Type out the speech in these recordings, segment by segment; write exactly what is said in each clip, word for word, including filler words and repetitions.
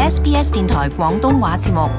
S B S 電台廣東話節目。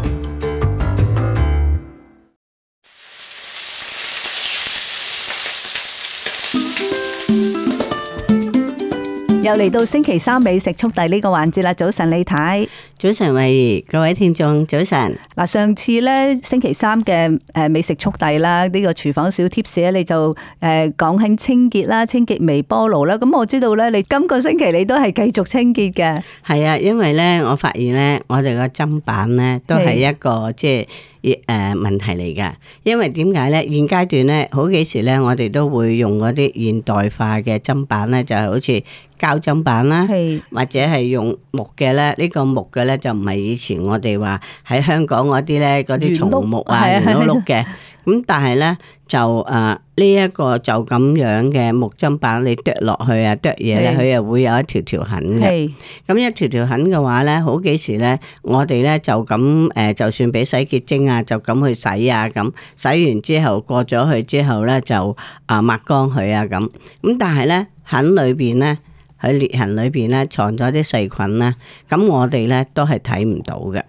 又嚟到星期三美食速遞呢個環節啦！早晨李太，早晨慧怡，各位聽眾早晨。嗱，上次咧星期三嘅誒美食速遞啦，呢個廚房小貼士咧，你就誒講緊清潔啦，清潔微波爐啦。咁我知道咧，你今個星期你都係繼續清潔嘅。係啊，因為咧，我發現咧，我哋個砧板咧都係一個即係。誒問題嚟㗎，因為點解咧？現階段咧，好幾時咧，我哋都會用嗰啲現代化嘅砧板咧，就係好似膠砧板啦，或者係用木嘅咧。呢個木嘅咧就唔係以前我哋話喺香港嗰啲咧嗰啲松木啊圓碌碌嘅。咁但係咧就誒呢一個就咁樣嘅木砧板，你剁落去啊剁嘢咧，佢又會有一條條痕嘅。咁一條條痕嘅話咧，好幾時咧，我哋咧就咁誒，就算俾洗潔精啊，就咁去洗啊，咁洗完之後過咗去之後咧，就啊抹乾佢啊咁。咁但係咧痕裏邊咧。喺裂痕裏邊咧藏咗啲細菌啦，咁我哋咧都係睇唔到嘅。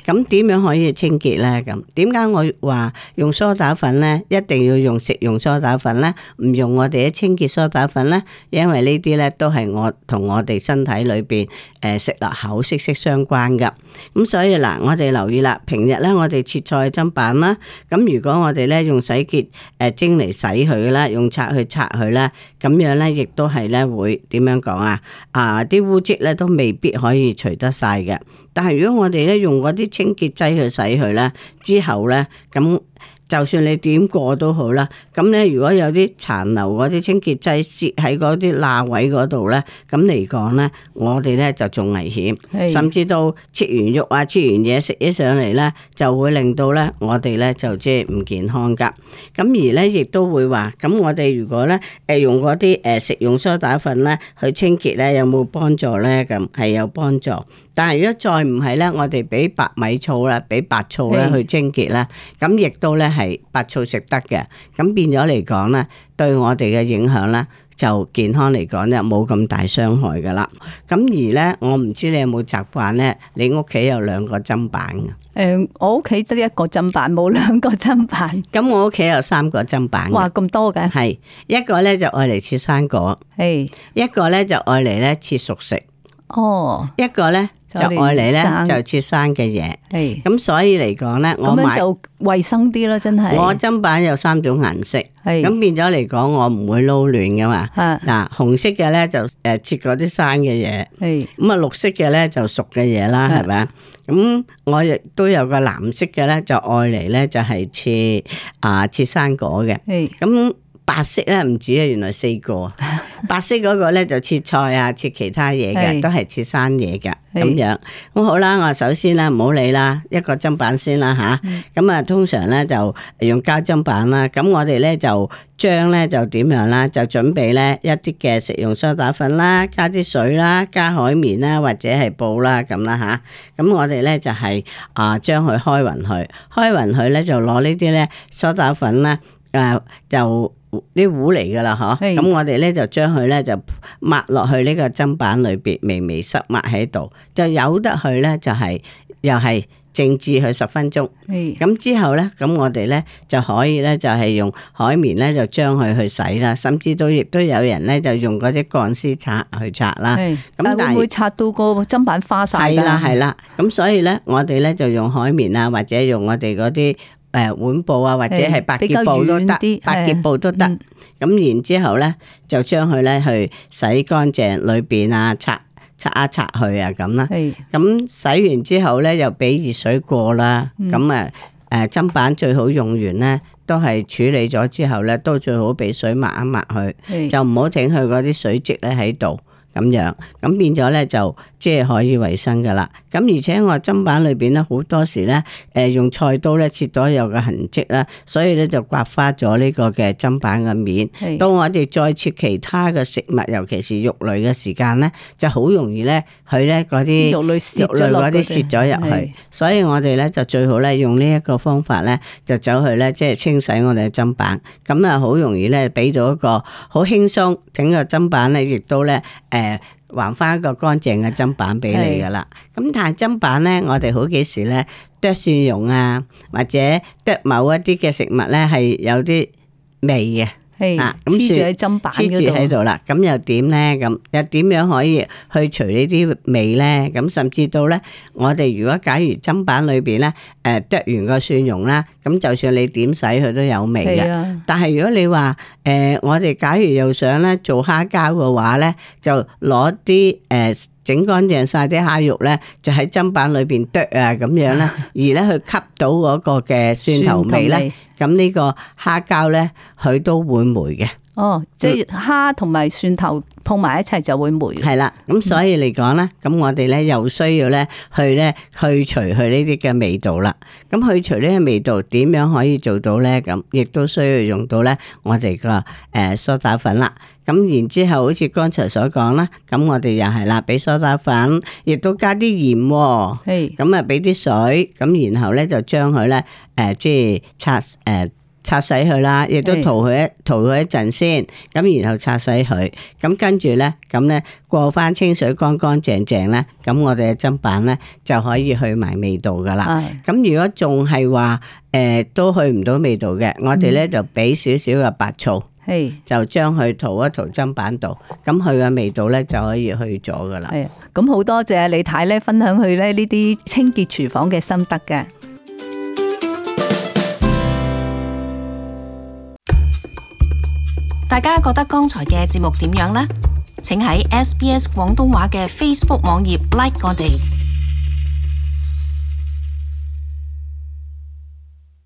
咁點樣可以清潔咧？咁點解我話用梳打粉咧，一定要用食用梳打粉咧，唔用我哋嘅清潔梳打粉咧？因為呢啲咧都係我同我哋身體裏邊誒食落口息息相關噶。咁所以嗱，我哋留意啦，平日咧我哋切菜砧板啦，咁如果我哋咧用洗潔誒精嚟洗佢啦，用刷去刷佢啦，咁樣咧亦都係咧會點樣講？啊！啊！啲污漬咧都未必可以除得晒嘅，但係如果我哋咧用嗰啲清潔劑去洗佢咧，之後咧咁。就算你點過都好啦，咁咧如果有啲殘留嗰啲清潔劑蝕喺嗰啲罅位嗰度咧，咁嚟講咧，我哋咧就仲危險，甚至到切完肉啊、切完嘢食起上嚟咧，就會令到咧我哋咧就即係唔健康噶。咁而咧亦都會話，咁我哋如果咧誒用嗰啲誒食用梳打粉咧去清潔咧，有冇幫助咧？咁係有幫助，但係如果再唔係咧，我哋俾白米醋啦，俾白醋咧去清潔啦，咁亦都咧。係白醋食得嘅，咁變咗嚟講咧，對我哋嘅影響咧，就健康嚟講咧冇咁大傷害噶啦。咁而咧，我唔知你有冇習慣咧，你屋企有兩個砧板嘅？誒、呃，我屋企得一個砧板，冇兩個砧板。咁我屋企有三個砧板。哇，咁多嘅？係一個咧就愛嚟切生果，係一個咧就愛嚟咧切熟食。哦，一個咧。就愛嚟咧就切生嘅嘢，咁所以嚟講咧，我買就衛生啲啦，真係。我砧板有三種顏色，咁變咗嚟講，我唔會撈亂噶嘛。嗱，紅色嘅咧就誒切嗰啲生嘅嘢，咁啊綠色嘅咧就熟嘅嘢啦，係咪啊？咁我亦都有個藍色嘅咧，就愛嚟咧就係切啊切生果嘅，咁。白色咧唔止啊，原來四個。白色嗰個咧就切菜啊，切其他嘢嘅，都係切生嘢嘅咁樣。咁好啦，我首先咧唔好理啦，一個砧板先啦吓。咁啊，通常咧就用膠砧板啦。咁我哋咧就將咧就點樣啦？就準備咧一啲嘅食用梳打粉啦，加啲水啦，加海綿啦，或者係布啦咁啦吓。咁我哋咧就係啊將佢開勻佢，開勻佢咧就攞呢啲咧梳打粉啦，誒就。啲糊嚟噶啦，嗬，咁我哋咧就將佢咧就抹落去呢個砧板裏邊，微微濕抹喺度，就由得佢咧就係、是、又係靜置佢十分鐘。咁之後咧，咁我哋咧就可以咧就係用海綿咧就將佢去洗啦，甚至都亦都有人咧就用嗰啲鋼絲刷去刷啦。咁但係會唔會刷到個砧板花晒？係啦係啦，咁所以咧我哋咧就用海綿啊，或者用我哋嗰啲。誒碗布啊，或者係百潔布都得，百潔布都得。咁、嗯、然之後咧，就將佢咧去洗乾淨裏邊啊，擦擦一擦去啊咁啦。咁洗完之後咧，又俾熱水過啦。咁啊誒砧板最好用完咧，都係處理咗之後咧，都最好俾水抹一抹去，就唔好整佢嗰啲水漬咧喺度。咁樣，咁變咗咧就即係可以衛生噶啦。咁而且我砧板裏邊咧好多時咧，誒用菜刀咧切咗有個痕跡啦，所以咧就刮花咗呢個嘅砧板嘅面。到我哋再切其他嘅食物，尤其是肉類嘅時間咧，就好容易咧佢咧嗰啲肉類肉類嗰啲蝕咗入去。所以我哋咧就最好咧用呢一個方法咧，就走去咧即係清洗我哋嘅砧板。咁啊好容易咧俾到一個好輕鬆，整個砧板咧亦都咧誒。還翻一個乾淨嘅砧板俾你噶啦。咁但係砧板咧，我哋好幾時咧剁蒜蓉啊，或者剁某一啲嘅食物咧係有啲味嘅。係啊，黐住喺砧板黐住喺度啦，咁又點咧？咁又點樣可以去除呢啲味咧？咁甚至到咧，我哋如果假如砧板裏邊咧，誒剁完個蒜蓉啦，咁就算你點洗佢都有味嘅。啊、但係如果你話誒、呃，我哋假如又想咧做蝦膠嘅話咧，就攞啲誒整乾淨晒啲蝦肉咧，就喺砧板裏邊剁啊咁樣咧，而咧去吸到嗰個嘅蒜頭味咧。咁呢個蝦膠咧，佢都會霉嘅。哦，即係蝦同埋蒜頭碰埋一齊就會霉。係啦，咁所以嚟講咧，咁、嗯、我哋咧又需要咧去咧去除佢呢啲嘅味道啦。咁去除呢個味道點樣可以做到咧？咁亦都需要用到咧我哋個誒梳打粉啦。咁然之後，好似剛才所講啦，咁我哋又係啦，俾梳打粉，亦都加啲鹽喎。係。咁啊，俾啲水，咁然後咧就將佢咧誒，即係擦誒。呃擦洗佢啦，亦都塗佢一塗佢一陣先，咁然後擦洗佢，咁跟住咧，咁咧過翻清水乾乾淨淨咧，咁我哋嘅砧板咧就可以去埋味道噶啦。咁如果仲係話誒都去唔到味道嘅，我哋咧就俾少少嘅白醋，係就將佢塗一塗砧板度，咁佢嘅味道咧就可以去咗噶啦。係，咁好多謝李太咧分享佢咧呢啲清潔廚房嘅心得嘅。大家覺得剛才嘅節目點樣呢？請喺 S B S 廣東話嘅 Facebook 網頁 like 我哋。